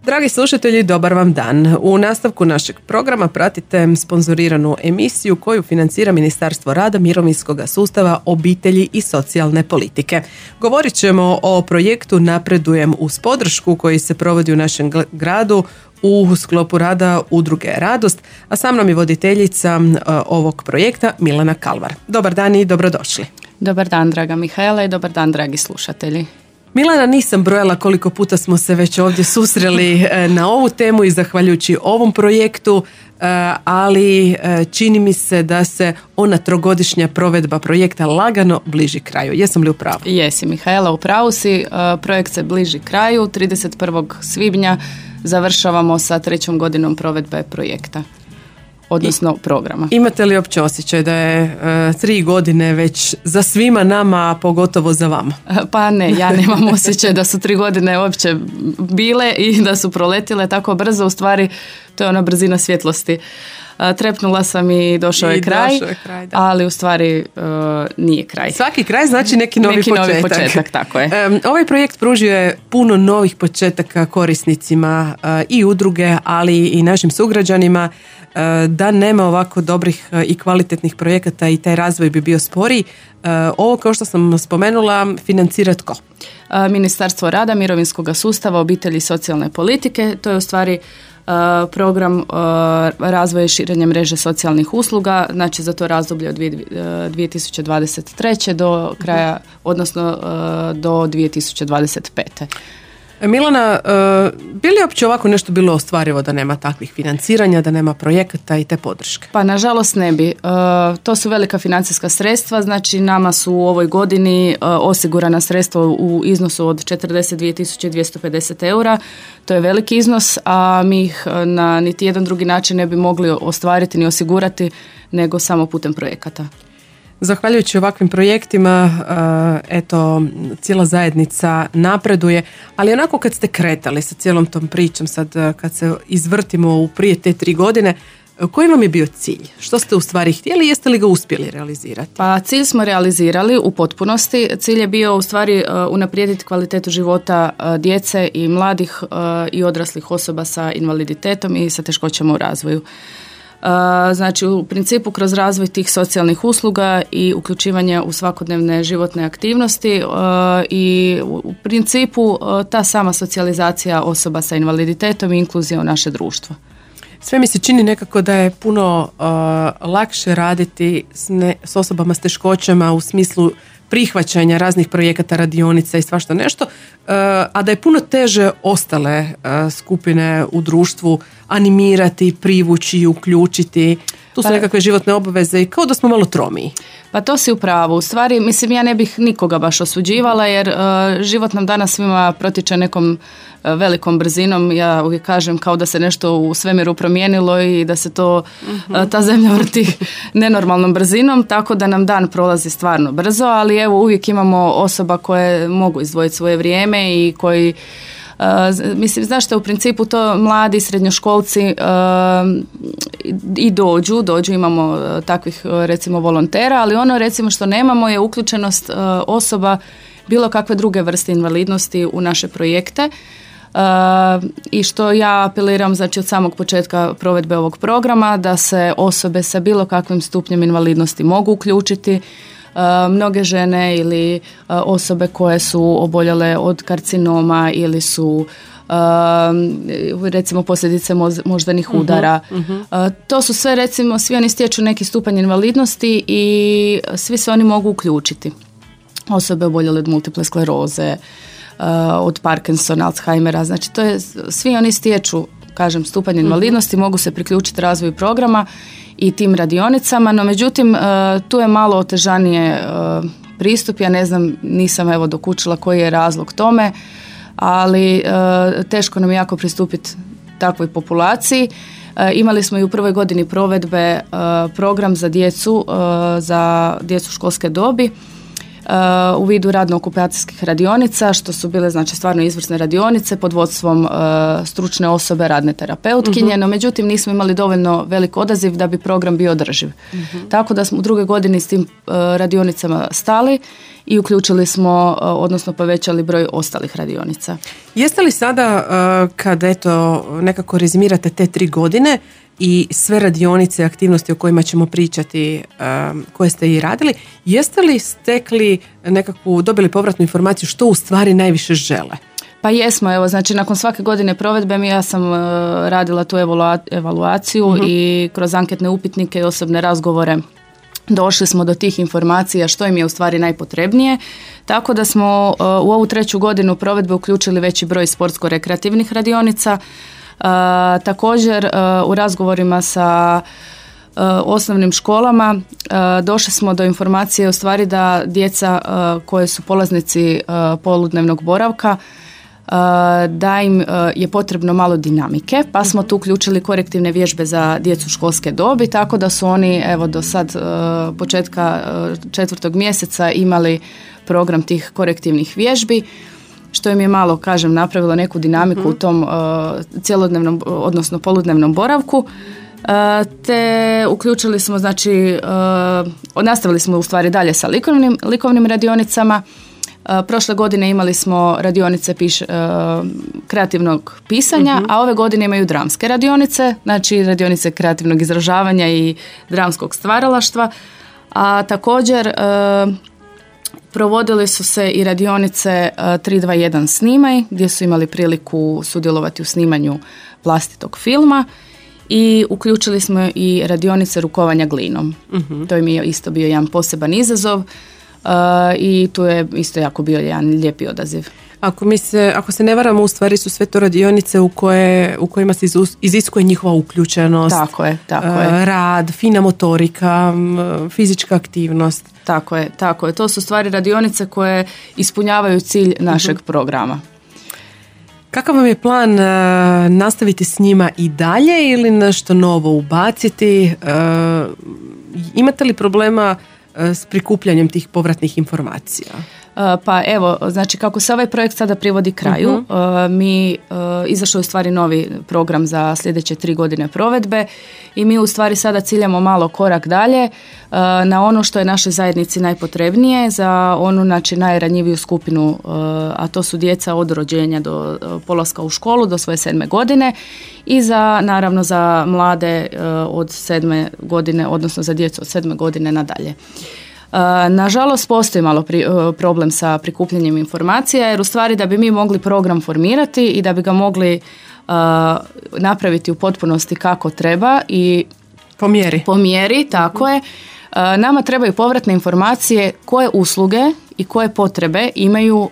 Dragi slušatelji, dobar vam dan. U nastavku našeg programa pratite sponzoriranu emisiju koju financira Ministarstvo rada, mirovinskog sustava, obitelji i socijalne politike. Govorit ćemo o projektu Napredujem uz podršku koji se provodi u našem gradu u sklopu rada udruge Radost, a sa mnom je voditeljica ovog projekta Milana Kalvar. Dobar dan i dobrodošli. Dobar dan, draga Mihajla, i dobar dan, dragi slušatelji. Milana, nisam brojala koliko puta smo se već ovdje susreli na ovu temu i zahvaljujući ovom projektu, ali čini mi se da se ona trogodišnja provedba projekta lagano bliži kraju. Jesam li u pravu? Jesi, Mihajla, u pravu si. Projekt se bliži kraju. 31. svibnja završavamo sa 3. godinom provedbe projekta, odnosno programa. Imate li uopće osjećaj da je 3 godine već za svima nama, a pogotovo za vama? Pa ne, ja nemam osjećaj da su 3 godine uopće bile i da su proletile tako brzo. U stvari, to je ona brzina svjetlosti. Trepnula sam i došao je kraj, ali u stvari nije kraj. Svaki kraj znači neki novi početak, tako je. Ovaj projekt pružio je puno novih početaka korisnicima i udruge, ali i našim sugrađanima. Da nema ovako dobrih i kvalitetnih projekata i taj razvoj bi bio sporiji. Ovo, kao što sam spomenula, financira tko? Ministarstvo rada, mirovinskog sustava, obitelji i socijalne politike. To je u stvari program razvoja i širenja mreže socijalnih usluga, znači za to razdoblje od 2023. do kraja, odnosno do 2025. Milana, bi li uopće ovako nešto bilo ostvarivo da nema takvih financiranja, da nema projekata i te podrške? Pa nažalost ne bi. To su velika financijska sredstva, znači nama su u ovoj godini osigurana sredstva u iznosu od 42.250 eura. To je veliki iznos, a mi ih na niti jedan drugi način ne bi mogli ostvariti ni osigurati nego samo putem projekata. Zahvaljujući ovakvim projektima, cijela zajednica napreduje, ali onako kad ste kretali sa cijelom tom pričom, sad kad se izvrtimo u prije te 3 godine, koji vam je bio cilj? Što ste u stvari htjeli? Jeste li ga uspjeli realizirati? Pa cilj smo realizirali u potpunosti. Cilj je bio u stvari unaprijediti kvalitetu života djece i mladih i odraslih osoba sa invaliditetom i sa teškoćama u razvoju. Znači u principu kroz razvoj tih socijalnih usluga i uključivanje u svakodnevne životne aktivnosti i u principu ta sama socijalizacija osoba sa invaliditetom i inkluzija u naše društvo. Sve mi se čini nekako da je puno lakše raditi s osobama s teškoćama u smislu prihvaćanja raznih projekata, radionica i svašta nešto, a da je puno teže ostale skupine u društvu animirati, privući, uključiti. Tu su nekakve životne obaveze i kao da smo malo tromiji. Pa to si u pravu. U stvari, mislim, ja ne bih nikoga baš osuđivala jer život nam danas svima protiče nekom velikom brzinom. Ja uvijek kažem kao da se nešto u svemiru promijenilo i da se to ta zemlja vrti nenormalnom brzinom, tako da nam dan prolazi stvarno brzo, ali evo uvijek imamo osoba koje mogu izdvojiti svoje vrijeme i koji mislim, znaš što, u principu to mladi srednjoškolci i dođu, imamo takvih recimo volontera, ali ono recimo što nemamo je uključenost osoba bilo kakve druge vrste invalidnosti u naše projekte. I što ja apeliram, znači od samog početka provedbe ovog programa, da se osobe sa bilo kakvim stupnjem invalidnosti mogu uključiti. Mnoge žene ili osobe koje su oboljele od karcinoma ili su recimo posljedice moždanih udara. To su sve, recimo, svi oni stječu neki stupanj invalidnosti i svi se oni mogu uključiti. Osobe oboljele od multiple skleroze, od Parkinsona, Alzheimera, znači to je, svi oni stječu, kažem, stupanj invalidnosti, mogu se priključiti razvoju programa i tim radionicama, no međutim tu je malo otežanije pristup, ja ne znam, nisam evo dokučila koji je razlog tome, ali teško nam je jako pristupiti takvoj populaciji. Imali smo i u prvoj godini provedbe program za djecu školske dobi u vidu radno-okupacijskih radionica, što su bile znači stvarno izvrsne radionice pod vodstvom stručne osobe, radne terapeutkinje, no međutim nismo imali dovoljno velik odaziv da bi program bio održiv. Tako da smo u druge godini s tim radionicama stali i uključili smo, odnosno povećali broj ostalih radionica. Jeste li sada, kada eto nekako rezimirate te 3 godine i sve radionice, aktivnosti o kojima ćemo pričati, koje ste i radili, jeste li stekli nekakvu, dobili povratnu informaciju što u stvari najviše žele? Pa jesmo, evo, znači nakon svake godine provedbe ja sam radila tu evaluaciju i kroz anketne upitnike i osobne razgovore došli smo do tih informacija što im je u stvari najpotrebnije, tako da smo u ovu 3. godinu provedbe uključili veći broj sportsko-rekreativnih radionica. Također u razgovorima sa osnovnim školama došli smo do informacije u stvari da djeca koje su polaznici poludnevnog boravka da im je potrebno malo dinamike, pa smo tu uključili korektivne vježbe za djecu školske dobi, tako da su oni evo do sad početka 4. mjeseca imali program tih korektivnih vježbi, što im je malo, kažem, napravilo neku dinamiku u tom cjelodnevnom, odnosno poludnevnom boravku. Te uključili smo, znači, nastavili smo u stvari dalje sa likovnim radionicama. Prošle godine imali smo radionice kreativnog pisanja, a ove godine imaju dramske radionice, znači radionice kreativnog izražavanja i dramskog stvaralaštva. A također provodili su se i radionice 3-2-1 snimaj, gdje su imali priliku sudjelovati u snimanju vlastitog filma i uključili smo i radionice rukovanja glinom. To im je isto bio jedan poseban izazov i tu je isto jako bio jedan lijepi odaziv. Ako se ne varamo, u stvari su sve to radionice u kojima se iziskuje njihova uključenost, tako je. Rad, fina motorika, fizička aktivnost. Tako je. To su stvari radionice koje ispunjavaju cilj našeg programa. Kakav vam je plan, nastaviti s njima i dalje ili nešto novo ubaciti? Imate li problema s prikupljanjem tih povratnih informacija? Pa evo, znači kako se ovaj projekt sada privodi kraju, mi izašao je u stvari novi program za sljedeće 3 godine provedbe i mi u stvari sada ciljamo malo korak dalje na ono što je našoj zajednici najpotrebnije, za onu znači najranjiviju skupinu, a to su djeca od rođenja do polaska u školu do svoje 7. godine i naravno za mlade od 7. godine, odnosno za djecu od 7. godine nadalje. Nažalost, postoji malo problem sa prikupljanjem informacija, jer u stvari da bi mi mogli program formirati i da bi ga mogli napraviti u potpunosti kako treba i po mjeri, tako je, nama trebaju povratne informacije koje usluge i koje potrebe imaju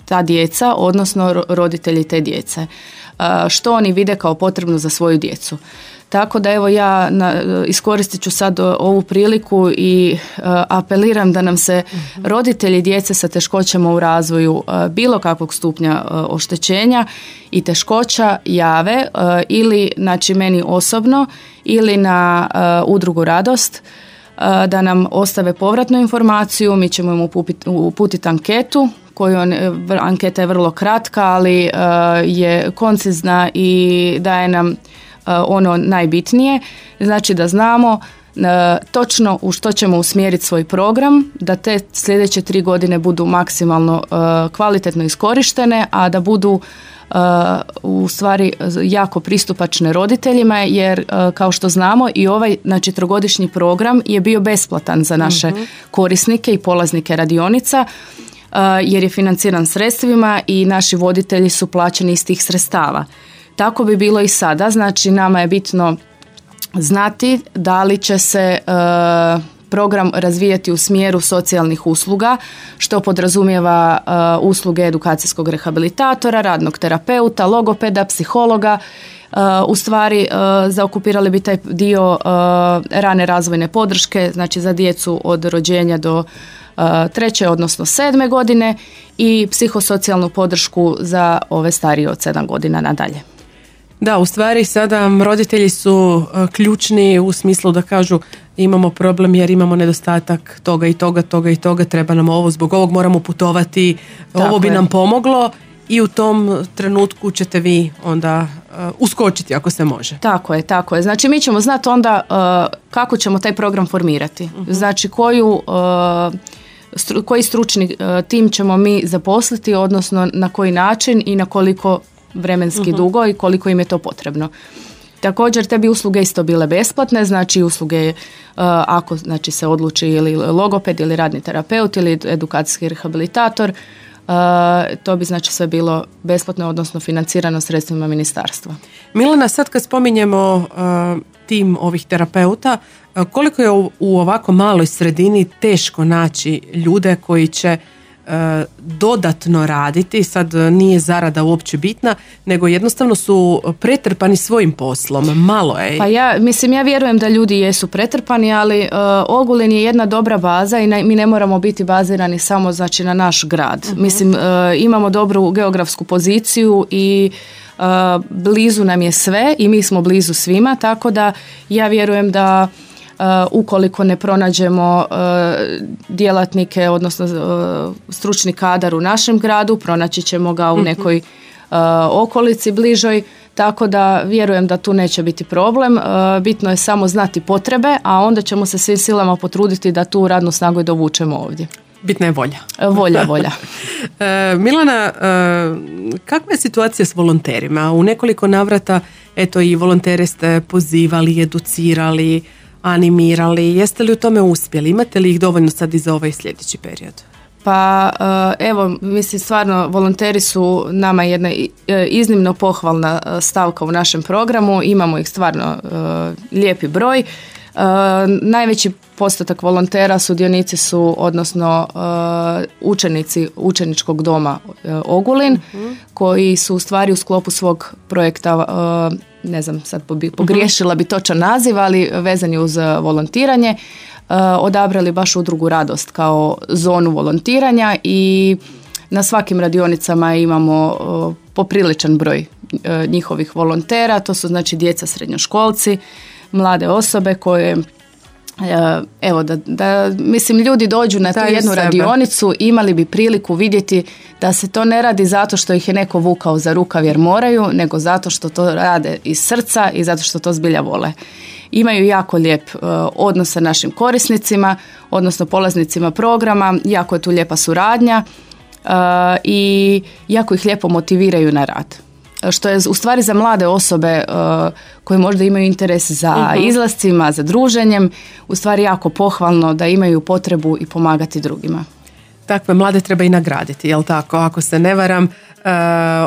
ta djeca, odnosno roditelji te djece. Što oni vide kao potrebno za svoju djecu. Tako da evo ja iskoristit ću sad ovu priliku i apeliram da nam se roditelji djece sa teškoćama u razvoju bilo kakvog stupnja oštećenja i teškoća jave ili znači meni osobno ili na udrugu Radost, da nam ostave povratnu informaciju, mi ćemo im uputiti anketu anketa je vrlo kratka, ali je koncizna i daje nam ono najbitnije, znači da znamo točno u što ćemo usmjeriti svoj program, da te sljedeće 3 godine budu maksimalno kvalitetno iskorištene, a da budu u stvari jako pristupačne roditeljima, jer kao što znamo i ovaj znači 3-godišnji program je bio besplatan za naše korisnike i polaznike radionica, jer je financiran sredstvima i naši voditelji su plaćeni iz tih sredstava. Tako bi bilo i sada, znači nama je bitno znati da li će se program razvijati u smjeru socijalnih usluga, što podrazumijeva usluge edukacijskog rehabilitatora, radnog terapeuta, logopeda, psihologa. U stvari zaokupirali bi taj dio rane razvojne podrške, znači za djecu od rođenja do 3. odnosno 7. godine i psihosocijalnu podršku za ove starije od 7 godina nadalje. Da, u stvari sada roditelji su ključni u smislu da kažu imamo problem jer imamo nedostatak toga i toga, treba nam ovo, zbog ovog moramo putovati, Tako ovo bi je. nam pomoglo i u tom trenutku ćete vi onda uskočiti ako se može. Tako je. Znači mi ćemo znati onda kako ćemo taj program formirati. Znači koji stručni tim ćemo mi zaposliti, odnosno na koji način i na koliko vremenski dugo i koliko im je to potrebno. Također te bi usluge isto bile besplatne, znači usluge ako znači, se odluči ili logoped ili radni terapeut ili edukacijski rehabilitator, to bi znači sve bilo besplatno, odnosno financirano sredstvima ministarstva. Milana, sad kad spominjemo tim ovih terapeuta, koliko je u ovako maloj sredini teško naći ljude koji će dodatno raditi, sad nije zarada uopće bitna, nego jednostavno su pretrpani svojim poslom, malo je. Pa ja vjerujem da ljudi jesu pretrpani, ali Ogulin je jedna dobra baza i mi ne moramo biti bazirani samo znači na naš grad. Mislim, imamo dobru geografsku poziciju i blizu nam je sve i mi smo blizu svima, tako da ja vjerujem da ukoliko ne pronađemo djelatnike, odnosno stručni kadar u našem gradu, pronaći ćemo ga u nekoj okolici bližoj, tako da vjerujem da tu neće biti problem. Bitno je samo znati potrebe, a onda ćemo se svim silama potruditi da tu radnu snagu i dovučemo ovdje. Bitna je volja. Volja. Milana, kakva je situacija s volonterima? U nekoliko navrata, eto, i volontere ste pozivali, educirali, animirali. Jeste li u tome uspjeli? Imate li ih dovoljno sad i za ovaj sljedeći period? Pa evo, mislim stvarno volonteri su nama jedna iznimno pohvalna stavka u našem programu, imamo ih stvarno lijepi broj. Najveći postotak volontera sudionici su, odnosno učenici učeničkog doma Ogulin, koji su u stvari u sklopu svog projekta, ne znam, sad pogriješila bi točan naziv, ali vezani uz volontiranje, odabrali baš udrugu Radost kao zonu volontiranja i na svakim radionicama imamo popriličan broj njihovih volontera. To su znači djeca, srednjoškolci, mlade osobe koje evo da mislim ljudi dođu na tu jednu radionicu, imali bi priliku vidjeti da se to ne radi zato što ih je neko vukao za rukav jer moraju, nego zato što to rade iz srca i zato što to zbilja vole. Imaju jako lijep odnos sa našim korisnicima, odnosno polaznicima programa, jako je tu lijepa suradnja i jako ih lijepo motiviraju na rad. Što je u stvari za mlade osobe koje možda imaju interes za izlascima, za druženjem, u stvari jako pohvalno da imaju potrebu i pomagati drugima. Takve mlade treba i nagraditi, jel tako? Ako se ne varam,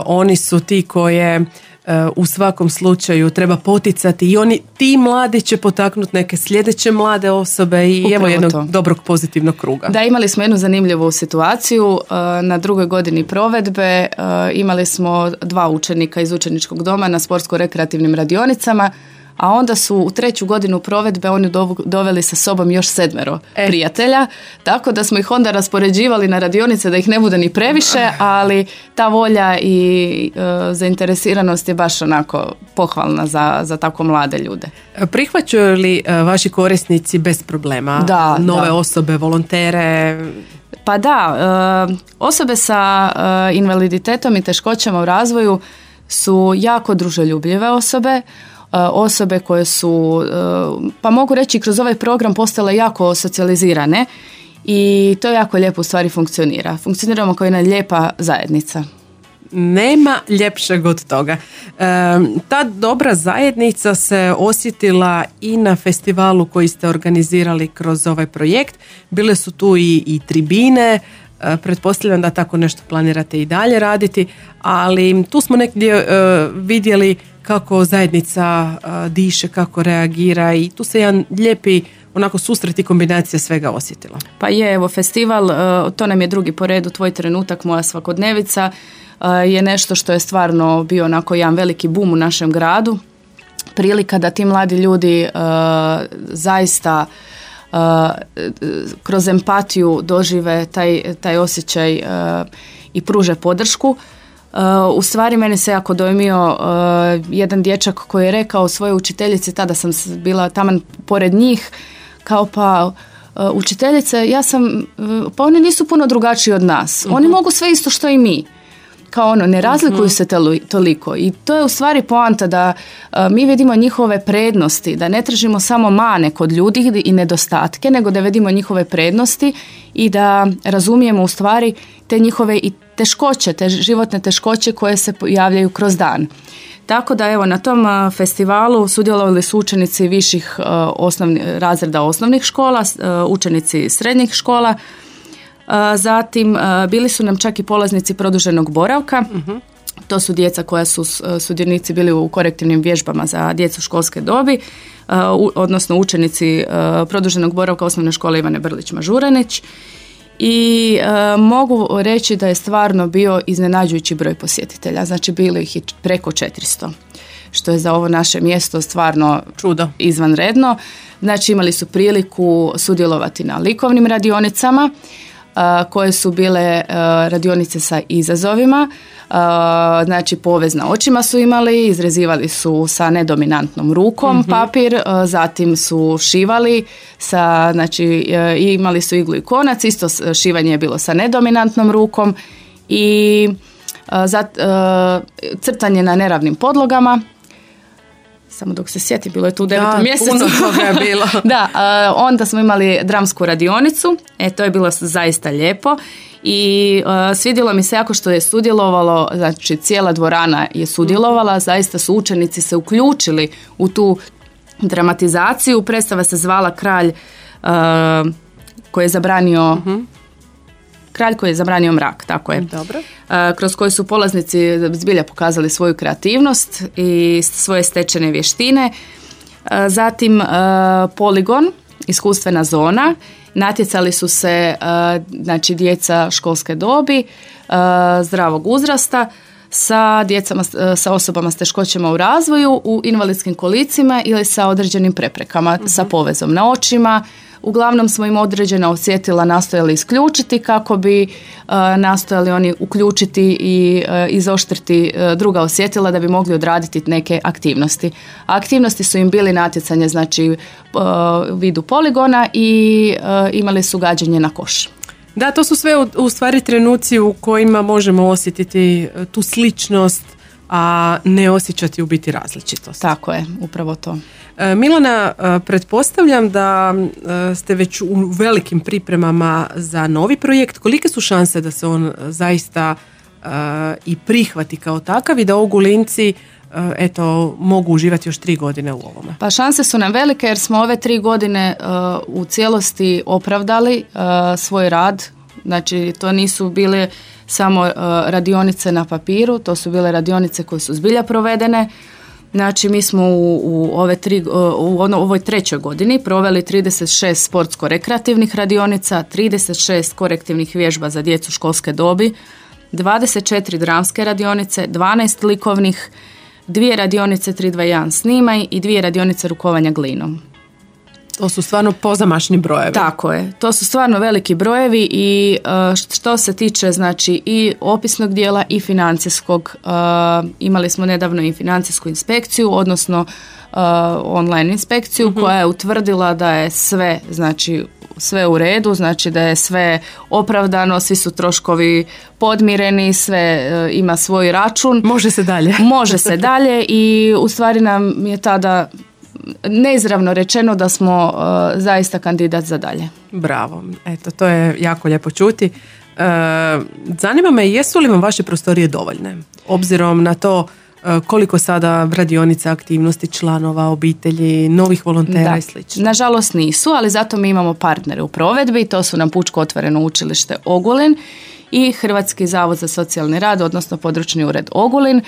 oni su ti koje u svakom slučaju treba poticati i ti mladi će potaknuti neke sljedeće mlade osobe i upravo evo jednog dobrog pozitivnog kruga. Da, imali smo jednu zanimljivu situaciju. Na drugoj godini provedbe imali smo 2 učenika iz učeničkog doma na sportsko-rekreativnim radionicama, a onda su u 3. godinu provedbe oni doveli sa sobom još 7 prijatelja, tako da smo ih onda raspoređivali na radionice da ih ne bude ni previše, ali ta volja i zainteresiranost je baš onako pohvalna za tako mlade ljude. Prihvaćaju li vaši korisnici bez problema nove osobe, volontere? Pa da, osobe sa invaliditetom i teškoćama u razvoju su jako druželjubljive osobe koje su, pa mogu reći, kroz ovaj program postale jako socijalizirane i to jako lijepo u stvari funkcionira. Funkcioniramo kao jedna lijepa zajednica. Nema ljepšeg od toga. Ta dobra zajednica se osjetila i na festivalu koji ste organizirali kroz ovaj projekt. Bile su tu i tribine, pretpostavljam da tako nešto planirate i dalje raditi, ali tu smo negdje vidjeli kako zajednica diše, kako reagira i tu se jedan lijepi onako susret i kombinacija svega osjetila. Pa je, evo, festival, to nam je drugi po redu, Tvoj trenutak, moja svakodnevica, je nešto što je stvarno bio onako jedan veliki bum u našem gradu. Prilika da ti mladi ljudi zaista kroz empatiju dožive taj osjećaj i pruže podršku. U stvari mene se jako dojmio jedan dječak koji je rekao svojoj učiteljici, tada sam bila taman pored njih, kao pa učiteljice, pa oni nisu puno drugačiji od nas. Oni mogu sve isto što i mi. Kao ono, ne razlikuju se toliko. I to je u stvari poanta da mi vidimo njihove prednosti, da ne tražimo samo mane kod ljudi i nedostatke, nego da vidimo njihove prednosti i da razumijemo u stvari te njihove i teškoće, te životne teškoće koje se javljaju kroz dan. Tako da evo na tom festivalu sudjelovali su učenici viših razreda osnovnih škola, učenici srednjih škola, zatim bili su nam čak i polaznici produženog boravka. To su djeca koja su sudionici bili u korektivnim vježbama za djecu školske dobi, odnosno učenici produženog boravka osnovne škole Ivane Brlić-Mažuranić. I mogu reći da je stvarno bio iznenađujući broj posjetitelja, znači bilo ih je preko 400, što je za ovo naše mjesto stvarno čudo, izvanredno. Znači imali su priliku sudjelovati na likovnim radionicama, koje su bile radionice sa izazovima, znači povez na očima su imali, izrezivali su sa nedominantnom rukom papir, zatim su šivali znači imali su iglu i konac, isto šivanje je bilo sa nedominantnom rukom i crtanje na neravnim podlogama. Samo dok se sjetim, bilo je tu u 9. mjesecu. Puno toga je bilo. Da, onda smo imali dramsku radionicu, to je bilo zaista lijepo i svidjelo mi se jako što je sudjelovalo, znači cijela dvorana je sudjelovala, zaista su učenici se uključili u tu dramatizaciju. Predstava se zvala Kralj koji je zabranio Kralj koji je zabranio mrak, tako je. Dobro. Kroz koji su polaznici zbilja pokazali svoju kreativnost i svoje stečene vještine. Zatim poligon, iskustvena zona. Natjecali su se znači djeca školske dobi, zdravog uzrasta sa osobama s teškoćama u razvoju, u invalidskim kolicima ili sa određenim preprekama, sa povezom na očima. Uglavnom smo im određena osjetila nastojali isključiti kako bi nastojali oni uključiti i izoštriti druga osjetila da bi mogli odraditi neke aktivnosti. A aktivnosti su im bili natjecanje, znači u vidu poligona i imali su gađanje na koš. Da, to su sve u stvari trenuci u kojima možemo osjetiti tu sličnost, a ne osjećati u biti različitost. Tako je, upravo to. Milana, pretpostavljam da ste već u velikim pripremama za novi projekt. Kolike su šanse da se on zaista i prihvati kao takav i da Ogulinci mogu uživati još 3 godine u ovome? Pa šanse su nam velike jer smo ove 3 godine u cijelosti opravdali svoj rad. Znači to nisu bile samo radionice na papiru, to su bile radionice koje su zbilja provedene. Znači mi smo u ovoj 3. godini proveli 36 sportsko-rekreativnih radionica, 36 korektivnih vježba za djecu školske dobi, 24 dramske radionice, 12 likovnih, 2 radionice 3-2-1 snimaj i 2 radionice rukovanja glinom. To su stvarno pozamašni brojevi. Tako je, to su stvarno veliki brojevi i što se tiče znači i opisnog dijela i financijskog, imali smo nedavno i financijsku inspekciju, odnosno online inspekciju koja je utvrdila da je sve u redu, znači da je sve opravdano, svi su troškovi podmireni, sve ima svoj račun. Može se dalje. Može se dalje i u stvari nam je tada neizravno rečeno da smo zaista kandidat za dalje. Bravo, eto, to je jako lijepo čuti. Zanima me, jesu li vam vaše prostorije dovoljne? Obzirom na to koliko sada radionica, aktivnosti, članova, obitelji, novih volontera i slično. Nažalost nisu, ali zato mi imamo partnere u provedbi, to su nam Pučko otvoreno učilište Ogulin i Hrvatski zavod za socijalni rad, odnosno područni ured Ogulin.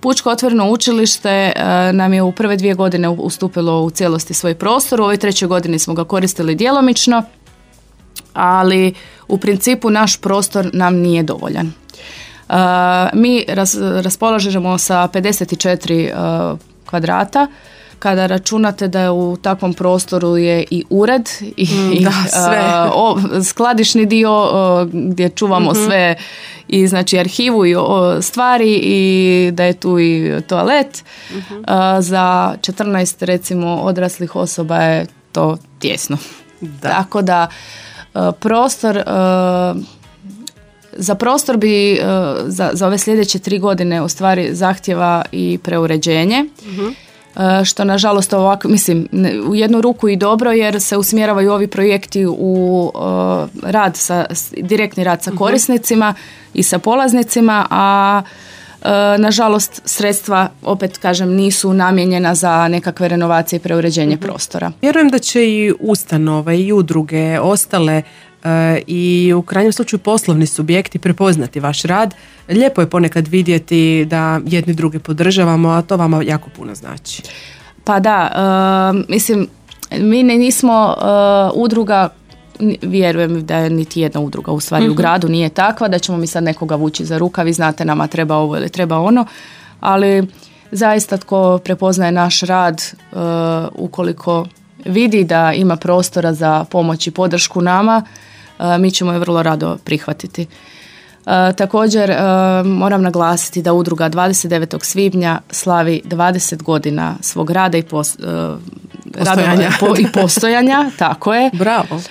Pučko otvoreno učilište nam je u prve 2 godine ustupilo u cijelosti svoj prostor, u ovoj 3. godini smo ga koristili djelomično, ali u principu naš prostor nam nije dovoljan. Mi raspolažemo sa 54 kvadrata kada računate da je u takvom prostoru je i ured i skladišni dio gdje čuvamo sve i znači arhivu i stvari i da je tu i toalet, za 14 recimo odraslih osoba je to tjesno. Tako da prostor, za prostor bi za ove sljedeće 3 godine u stvari zahtjeva i preuređenje, što nažalost ovako, mislim, u jednu ruku i dobro jer se usmjeravaju ovi projekti u rad direktni rad sa korisnicima i sa polaznicima, a nažalost sredstva, opet kažem, nisu namijenjena za nekakve renovacije i preuređenje prostora. Vjerujem da će i ustanove i udruge ostale i u krajnjem slučaju poslovni subjekti prepoznati vaš rad. Lijepo je ponekad vidjeti da jedni druge podržavamo, a to vama jako puno znači. Pa da, mislim, mi nismo udruga, vjerujem da je niti jedna udruga u stvari u gradu nije takva, da ćemo mi sad nekoga vući za rukav i znate nama treba ovo ili treba ono, ali zaista tko prepoznaje naš rad, ukoliko vidi da ima prostora za pomoć i podršku nama, mi ćemo je vrlo rado prihvatiti. Također moram naglasiti da udruga 29. svibnja slavi 20 godina svog rada i postojanja, tako je. Bravo.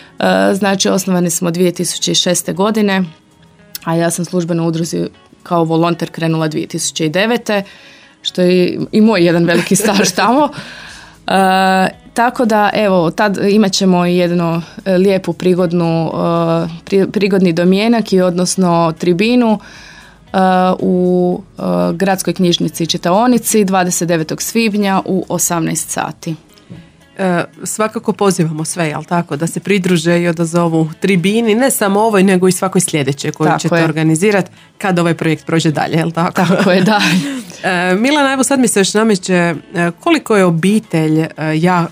Znači osnovani smo 2006. godine, a ja sam službeno u udruzi kao volonter krenula 2009. što je i moj jedan veliki staž tamo. Tako da, evo, tad imat ćemo jednu lijepu prigodni domjenak i odnosno tribinu u gradskoj knjižnici i čitaonici 29. svibnja u 18 sati. Svakako pozivamo sve, jel tako, da se pridruže i odazovu tribini, ne samo ovoj, nego i svakoj sljedećoj koju ćete organizirati kad ovaj projekt prođe dalje, jel tako? Tako je, da. Milana, evo sad mi se još nameće koliko je obitelj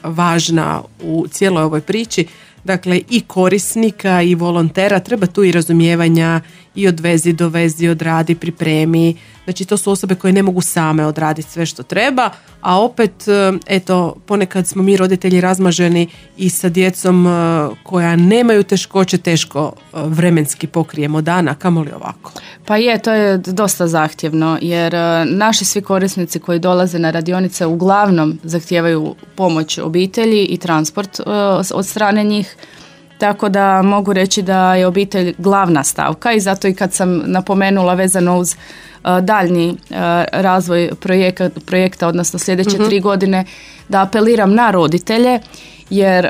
važna u cijeloj ovoj priči, dakle i korisnika i volontera, treba tu i razumijevanja i odvezi, dovezi, odradi, pripremi, znači to su osobe koje ne mogu same odraditi sve što treba, a opet eto ponekad smo mi roditelji razmaženi i sa djecom koja nemaju teškoće, teško vremenski pokrijemo dana, kamoli ovako. Pa to je dosta zahtjevno jer naši svi korisnici koji dolaze na radionice uglavnom zahtijevaju pomoć obitelji i transport od strane njih. Tako da mogu reći da je obitelj glavna stavka i zato i kad sam napomenula vezano uz daljnji razvoj projekta, odnosno sljedeće 3 godine, da apeliram na roditelje, jer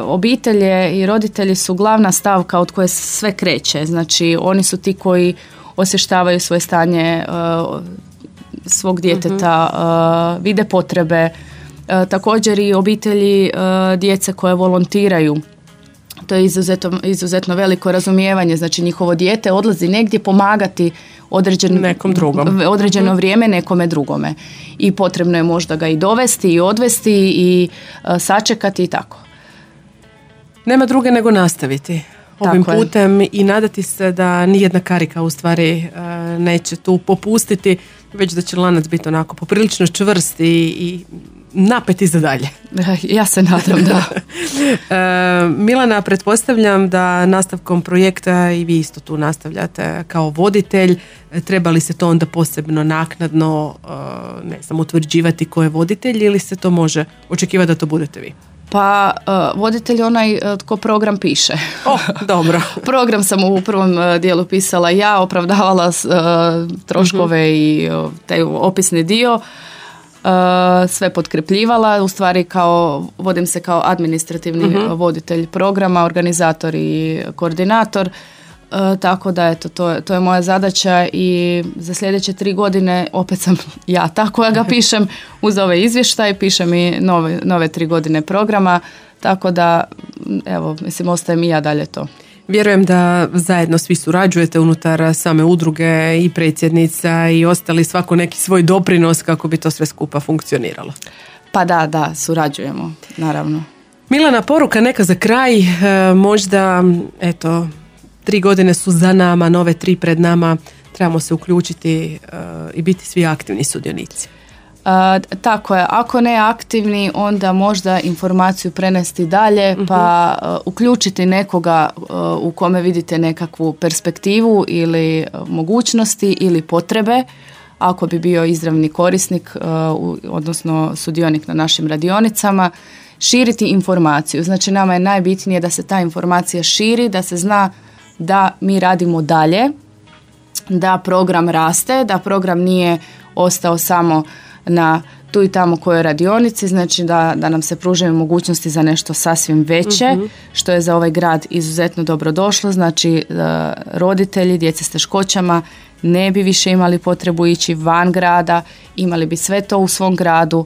obitelje i roditelji su glavna stavka od koje se sve kreće. Znači oni su ti koji osještavaju svoje stanje svog djeteta, vide potrebe, također i obitelji djece koje volontiraju. To je izuzetno veliko razumijevanje, znači njihovo dijete odlazi negdje pomagati određeno vrijeme nekome drugome i potrebno je možda ga i dovesti i odvesti i sačekati i tako. Nema druge nego nastaviti ovim putem i nadati se da nijedna karika u stvari neće tu popustiti, već da će lanac biti onako poprilično čvrst i napeti za dalje. Ja se nadam, da. Milana, pretpostavljam da nastavkom projekta i vi isto tu nastavljate kao voditelj. Treba li se to onda posebno naknadno utvrđivati ko je voditelj ili se to može očekivati da to budete vi? Pa voditelj onaj tko program piše. Dobro. Program sam u prvom dijelu pisala ja, opravdavala troškove i taj opisni dio. Sve potkrepljivala, u stvari vodim se kao administrativni voditelj programa, organizator i koordinator, tako da to je moja zadaća i za sljedeće 3 godine opet sam ja ta koja ga pišem uz ove izvještaje, pišem i nove 3 godine programa, tako da ostajem i ja dalje to. Vjerujem da zajedno svi surađujete unutar same udruge i predsjednica i ostali svako neki svoj doprinos kako bi to sve skupa funkcioniralo. Pa da, surađujemo, naravno. Milana, poruka neka za kraj, možda 3 godine su za nama, nove 3 pred nama, trebamo se uključiti i biti svi aktivni sudionici. Tako je, ako ne aktivni, onda možda informaciju prenesti dalje, pa uključiti nekoga u kome vidite nekakvu perspektivu ili mogućnosti ili potrebe, ako bi bio izravni korisnik, odnosno sudionik na našim radionicama, širiti informaciju. Znači nama je najbitnije da se ta informacija širi, da se zna da mi radimo dalje, da program raste, da program nije ostao samo na tu i tamo kojoj radionici, znači da nam se pružaju mogućnosti za nešto sasvim veće, što je za ovaj grad izuzetno dobro došlo. Znači roditelji djece s teškoćama ne bi više imali potrebu ići van grada, imali bi sve to u svom gradu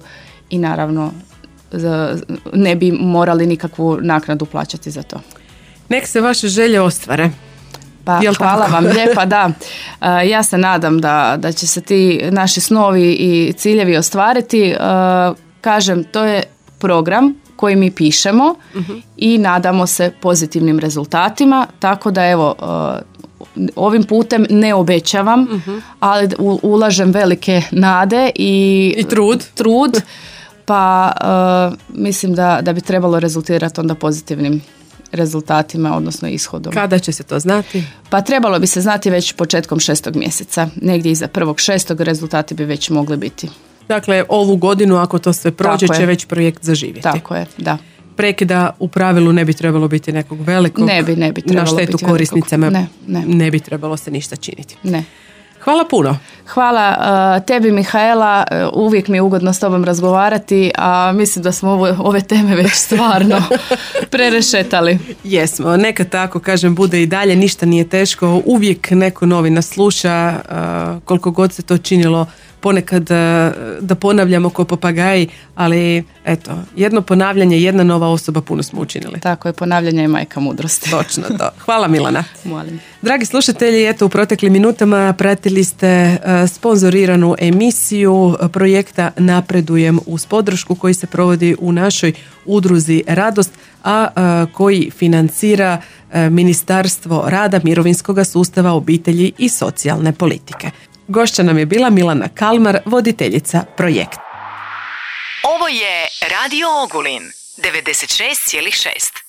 i naravno ne bi morali nikakvu naknadu plaćati za to. Nek se vaše želje ostvare. Pa hvala vam lijepa, da. Ja se nadam da će se ti naši snovi i ciljevi ostvariti. Kažem, to je program koji mi pišemo i nadamo se pozitivnim rezultatima, tako da evo, ovim putem ne obećavam, ali ulažem velike nade i trud, pa mislim da bi trebalo rezultirati onda pozitivnim rezultatima, odnosno ishodom. Kada će se to znati? Pa trebalo bi se znati već početkom 6. mjeseca. Negdje iza 1.6. rezultati bi već mogli biti. Dakle, ovu godinu, ako to sve prođe, će već projekt zaživjeti. Tako je, da. Prekida u pravilu ne bi trebalo biti nekog velikog. Ne bi trebalo na štetu biti korisnicama. Ne bi trebalo se ništa činiti. Ne. Hvala puno. Hvala tebi, Mihaela, uvijek mi je ugodno s tobom razgovarati, a mislim da smo ove teme već stvarno prerešetali. Jesmo, neka tako kažem bude i dalje, ništa nije teško, uvijek neko novi nas sluša, koliko god se to činilo ponekad da ponavljamo ko papagaji, ali eto, jedno ponavljanje, jedna nova osoba, puno smo učinili. Tako je, ponavljanje je majka mudrosti. Točno to. Hvala Milana. Molim. Dragi slušatelji, eto u proteklim minutama pratili ste sponzoriranu emisiju projekta Napredujem uz podršku koji se provodi u našoj udruzi Radost, a koji financira Ministarstvo rada, mirovinskog sustava, obitelji i socijalne politike. Gošća nam je bila Milana Kalmar, voditeljica projekta. Ovo je Radio Ogulin, 96,6.